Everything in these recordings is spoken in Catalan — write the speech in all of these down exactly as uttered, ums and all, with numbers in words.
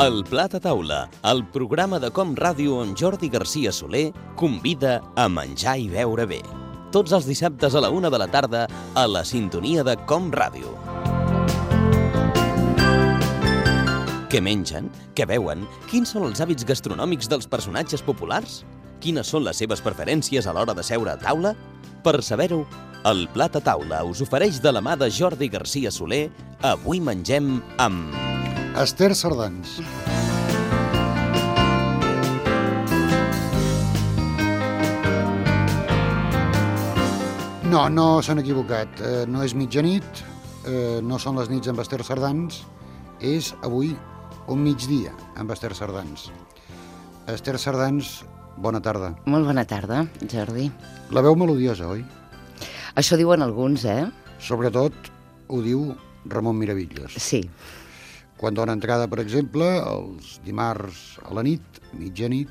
El Plat a Taula, el programa de Com Ràdio on Jordi Garcia Soler convida a menjar i beure bé. Tots els dissabtes a la una de la tarda a la sintonia de Com Ràdio. Què mengen? Què beuen? Quins són els hàbits gastronòmics dels personatges populars? Quines són les seves preferències a l'hora de seure a taula? Per saber-ho, el Plat a Taula us ofereix de la mà de Jordi Garcia Soler. Avui mengem amb... Ester Sardans. No, no s'han equivocat. Eh, no és mitjanit, eh, no són les nits amb Ester Sardans, és avui un migdia amb Ester Sardans. Ester Sardans, bona tarda. Molt bona tarda, Jordi. La veu melodiosa, oi? Això diuen alguns, eh? Sobretot ho diu Ramon Miravillos. Sí. Quan dona entrada, per exemple, els dimarts a la nit, mitjanit,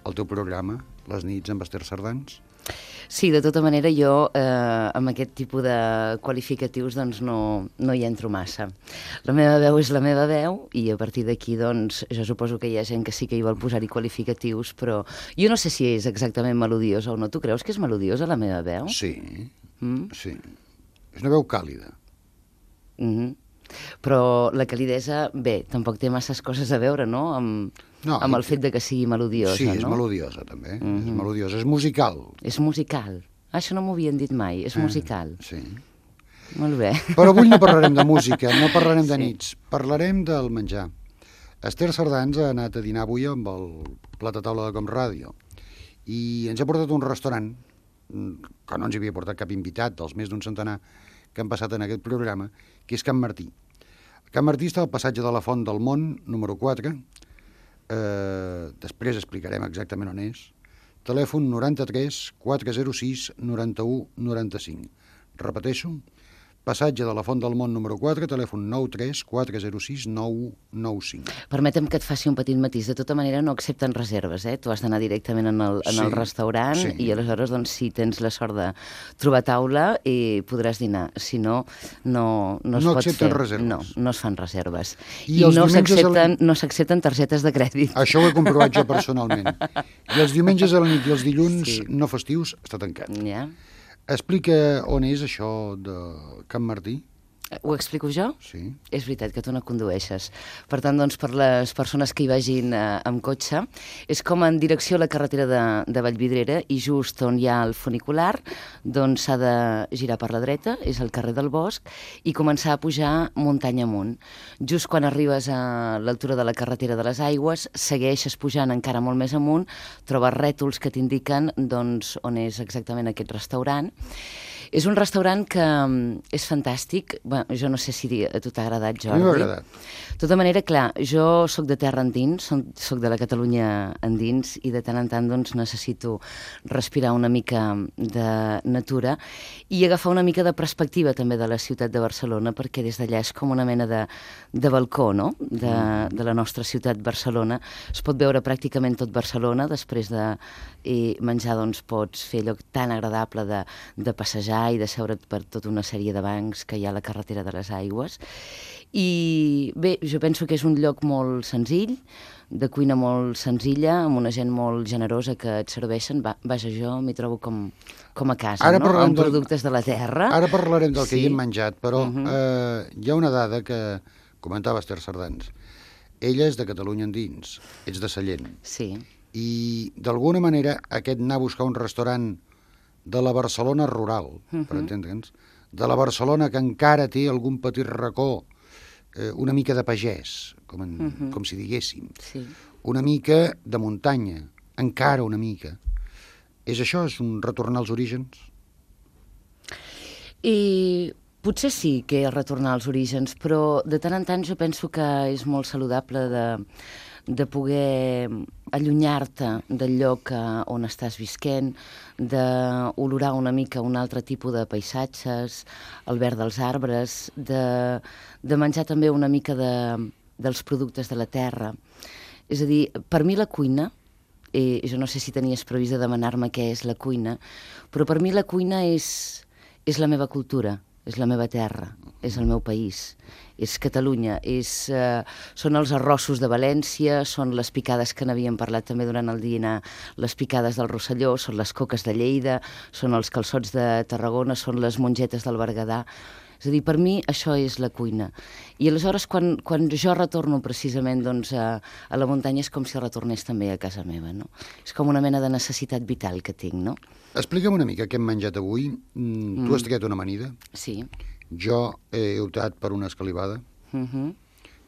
al teu programa, les nits amb Ester Sardans. Sí, de tota manera jo eh, amb aquest tipus de qualificatius doncs no, no hi entro massa. La meva veu és la meva veu i a partir d'aquí doncs jo suposo que hi ha gent que sí que hi vol posar-hi qualificatius, però jo no sé si és exactament melodiosa o no. Tu creus que és melodiosa la meva veu? Sí, Mm? sí. És una veu càlida. Mm-hmm. Però la calidesa, bé, tampoc té masses coses a veure, no?, amb, No, amb el fet de que sigui melodiosa, sí, és no? melodiosa, també. Mhm. És melodiosa, és musical. És musical. Ah, això no m'ho havien dit mai, és musical. Eh, sí. Molt bé. Però avui no parlarem de música, no parlarem de Sí. nits, parlarem del menjar. Ester Sardans ha anat a dinar avui amb el Plat a Taula de Com Ràdio i ens ha portat a un restaurant que no ens havia portat cap invitat dels més d'un centenar que han passat en aquest programa, que és Can Martí. Can Martí està al passatge de la Font del Mont, número quatre. Eh, després explicarem exactament on és. Telèfon noranta-tres quatre zero sis noranta-u noranta-cinc. Repeteixo, passatge de la Font del Mont número quatre, telèfon nou tres quatre zero sis nou u nou cinc. Permetem que et faci un petit matís. De tota manera no accepten reserves, eh? Tu has d'anar directament en el, en Sí, el restaurant sí. i aleshores, doncs, si tens la sort de trobar taula, i podràs dinar. Si no, no, no es No pot accepten fer. reserves. No, no es fan reserves. I I, els no diumenges s'accepten al- no s'accepten targetes de crèdit. Això ho he comprovat jo personalment. I els diumenges a la nit i els dilluns Sí. no festius està tancat. Ja? Explica on és això de Can Martí. Ho explico jo? Sí. És veritat que tu no condueixes. Per tant, doncs, per les persones que hi vagin eh, amb cotxe, és com en direcció a la carretera de, de Vallvidrera i just on hi ha el funicular, doncs s'ha de girar per la dreta, és el carrer del Bosc, i començar a pujar muntanya amunt. Just quan arribes a l'altura de la carretera de les Aigües, segueixes pujant encara molt més amunt, trobes rètols que t'indiquen doncs, on és exactament aquest restaurant. És un restaurant que mm, és fantàstic. Bé, jo no sé si a tu t'ha agradat, A mi Jordi. m'ha agradat. De tota manera, clar, jo sóc de terra endins, sóc de la Catalunya endins i de tant en tant doncs, necessito respirar una mica de natura i agafar una mica de perspectiva també de la ciutat de Barcelona, perquè des d'allà és com una mena de, de balcó, no?, de, de la nostra ciutat Barcelona. Es pot veure pràcticament tot Barcelona. Després de eh, menjar doncs, pots fer allò tan agradable de, de passejar i de seure't per tota una sèrie de bancs que hi ha a la carretera de les Aigües. I bé, jo penso que és un lloc molt senzill, de cuina molt senzilla, amb una gent molt generosa que et serveixen. Va, vaja, jo m'hi trobo com, com a casa, Ara no?, parlarem amb del- productes de la terra. Ara parlarem del que Sí. hi hem menjat, però Mhm. eh, hi ha una dada que comentava Ester Sardans. Ella és de Catalunya endins, ets de Sallent, Sí, i d'alguna manera aquest anar a buscar un restaurant de la Barcelona rural, per Mhm. entendre'ns, de la Barcelona que encara té algun petit racó, eh, una mica de pagès, com, en, Mhm. com si diguéssim, sí. una mica de muntanya, encara una mica. És això, és un retornar als orígens? I potser sí que és retornar als orígens, però de tant en tant jo penso que és molt saludable de, de poder allunyar-te del lloc eh, on estàs visquent, d'olorar una mica un altre tipus de paisatges, el verd dels arbres, de, de menjar també una mica de, dels productes de la terra. És a dir, per mi la cuina, eh, jo no sé si tenies previst de demanar-me què és la cuina, però per mi la cuina és, és la meva cultura. és la meva terra, és el meu país, és Catalunya, és, eh, són els arrossos de València, són les picades que n'havíem parlat també durant el dinar, les picades del Rosselló, són les coques de Lleida, són els calçots de Tarragona, són les mongetes del Berguedà. És a dir, per mi això és la cuina. I aleshores, quan, quan jo retorno precisament doncs, a, a la muntanya, és com si retornés també a casa meva, no? És com una mena de necessitat vital que tinc, no? Explica'm una mica què hem menjat avui. Mm, tu has triat una amanida. Sí. Jo he optat per una escalivada. Uh -huh.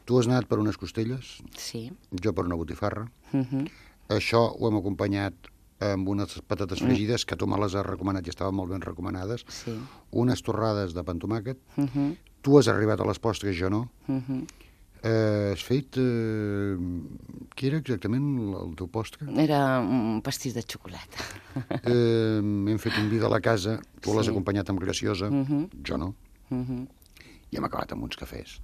Tu has anat per unes costelles. Sí. Jo per una botifarra. Uh -huh. Això ho hem acompanyat amb unes patates fregides, que tu me les has recomanat i estaven molt ben recomanades. Sí. Unes torrades de pa amb tomàquet. Uh -huh. Tu has arribat a les postres, jo no. Uh -huh. Eh, has fet... Eh, què era exactament el, el teu postre? Era un pastís de xocolata. Eh, hem fet un vi de la casa, tu Sí. l'has acompanyat amb graciosa, Uh -huh. jo no. Uh -huh. I hem acabat amb uns cafès.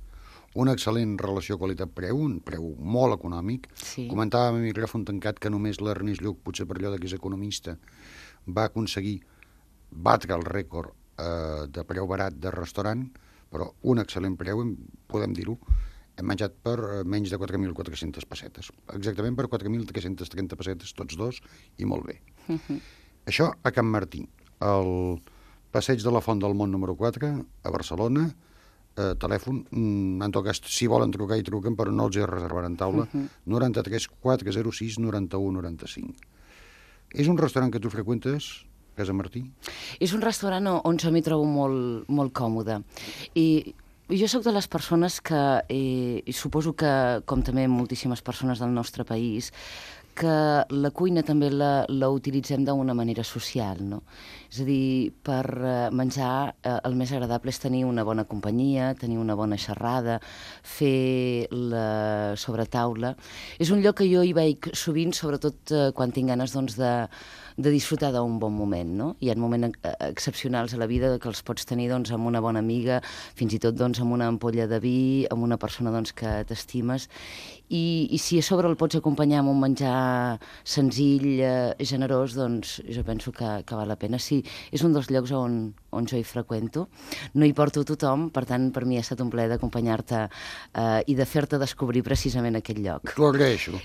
Una excel·lent relació qualitat-preu, un preu molt econòmic. Sí. Comentàvem a micròfon tancat que només l'Ernest Lluch, potser per allò que és economista, va aconseguir batre el rècord eh, de preu barat de restaurant, però un excel·lent preu, em- podem dir-ho, hem menjat per eh, menys de quatre mil quatre-centes pessetes. Exactament per quatre mil tres-centes trenta pessetes, tots dos, i molt bé. Uh -huh. Això a Can Martí, al passeig de la Font del Mont número quatre, a Barcelona, eh, telèfon, mm, en tot cas, si volen trucar i truquen, però no els hi reservaran taula, Uh -huh. noranta-tres quatre zero sis noranta-u noranta-cinc. És un restaurant que tu freqüentes, Casa Martí? És un restaurant on, on jo m'hi trobo molt, molt còmode. I jo sóc de les persones que, eh, i suposo que, com també moltíssimes persones del nostre país, que la cuina també la, la utilitzem d'una manera social, no? És a dir, per eh, menjar eh, el més agradable és tenir una bona companyia, tenir una bona xerrada, fer la sobretaula. És un lloc que jo hi vaig sovint, sobretot eh, quan tinc ganes doncs, de, de disfrutar d'un bon moment, no? Hi ha moments eh, excepcionals a la vida que els pots tenir doncs, amb una bona amiga, fins i tot doncs, amb una ampolla de vi, amb una persona doncs, que t'estimes, i, i si a sobre el pots acompanyar amb un menjar senzill, eh, generós, doncs jo penso que, que val la pena. Sí, és un dels llocs on, on jo hi freqüento. No hi porto tothom, per tant, per mi ha estat un plaer d'acompanyar-te eh, i de fer-te descobrir precisament aquest lloc. T'ho agraeixo.